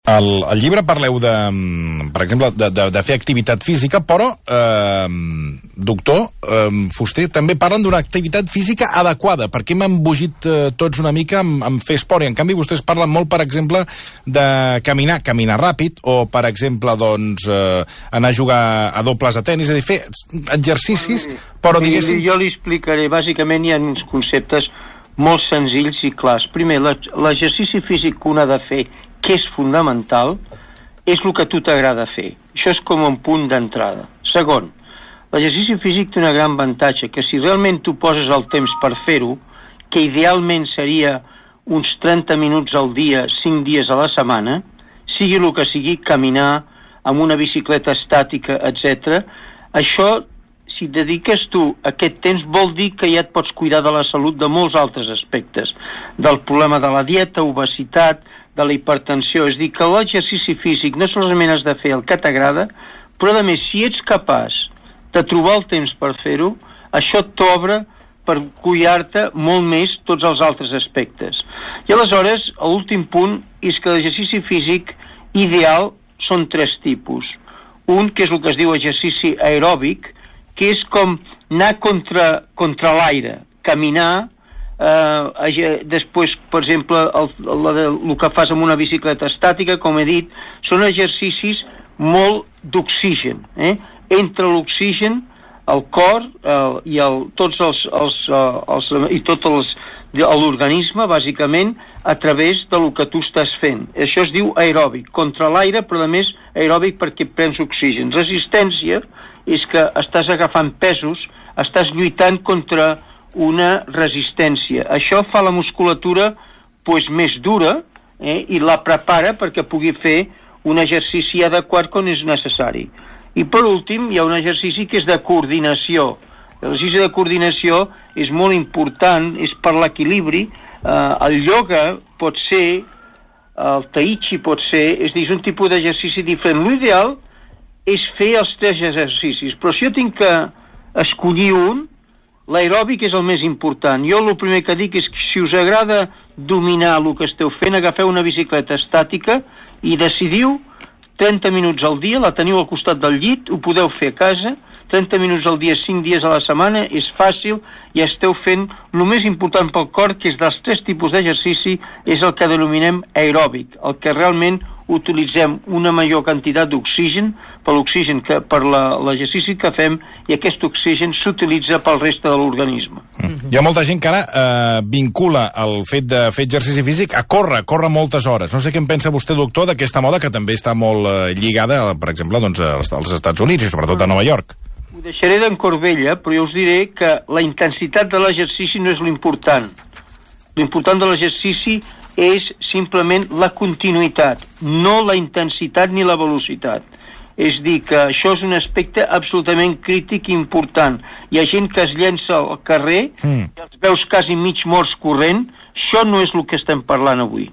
Al llibre parleu per exemple, de fer activitat física, però, doctor Fuster, també parlen d'una activitat física adequada, perquè hem embogit tots una mica en fer esport, i en canvi vostès parlen molt, per exemple, de caminar ràpid, o, per exemple, doncs, anar a jugar a dobles a tenis, és a dir, fer exercicis, però diguéssim... Jo li explicaré, bàsicament hi ha uns conceptes molt senzills i clars. Primer, l'exercici físic que un ha de fer, que és fonamental, és el que a tu t'agrada fer. Això és com un punt d'entrada. Segon, l'exercici físic té un gran avantatge, que si realment tu poses el temps per fer-ho, que idealment seria uns 30 minuts al dia, 5 dies a la setmana, sigui el que sigui, caminar amb una bicicleta estàtica, etc. Això, si et dediques tu aquest temps, vol dir que ja et pots cuidar de la salut de molts altres aspectes, del problema de la dieta, obesitat, de la hipertensió. És dir, que l'exercici físic no solament has de fer el que t'agrada, però a més, si ets capaç de trobar el temps per fer-ho, això t'obre per cuidar-te molt més tots els altres aspectes. I aleshores, l'últim punt és que l'exercici físic ideal són 3 tipus. Un, que és el que es diu exercici aeròbic, que és com anar contra l'aire, caminar. Després, per exemple, el que fas amb una bicicleta estàtica, com he dit, són exercicis molt d'oxigen, entre l'oxigen, el cor i tot l'organisme, bàsicament, a través del que tu estàs fent. Això es diu aeròbic, contra l'aire, però a més aeròbic perquè prens oxigen. Resistència és que estàs agafant pesos, estàs lluitant contra una resistència. Això fa la musculatura més dura i la prepara perquè pugui fer un exercici adequat quan és necessari. I per últim hi ha un exercici que és de coordinació. L'exercici de coordinació és molt important, és per l'equilibri. El ioga pot ser, el tai chi pot ser, és dir, és un tipus d'exercici diferent. L'ideal és fer els 3 exercicis, però si jo tinc que escollir un, l'aeròbic és el més important. Jo el primer que dic és que si us agrada dominar el que esteu fent, agafeu una bicicleta estàtica i decidiu 30 minuts al dia, la teniu al costat del llit, ho podeu fer a casa, 30 minuts al dia, 5 dies a la setmana, és fàcil, i esteu fent el més important pel cor, que és dels 3 tipus d'exercici, és el que denominem aeròbic, el que realment utilitzem una major quantitat d'oxigen per l'exercici que fem, i aquest oxigen s'utilitza pel reste de l'organisme. Hi ha molta gent que ara vincula el fet de fer exercici físic a córrer moltes hores. No sé què en pensa vostè, doctor, d'aquesta moda que també està molt lligada, per exemple, doncs, als Estats Units i sobretot a Nova York. Ho deixaré d'en Corbella, però jo us diré que la intensitat de l'exercici no és l'important. L'important de l'exercici és simplement la continuïtat, no la intensitat ni la velocitat. És dir, que això és un aspecte absolutament crític i important. Hi ha gent que es llença al carrer i els veus quasi mig morts corrent. Això no és el que estem parlant avui.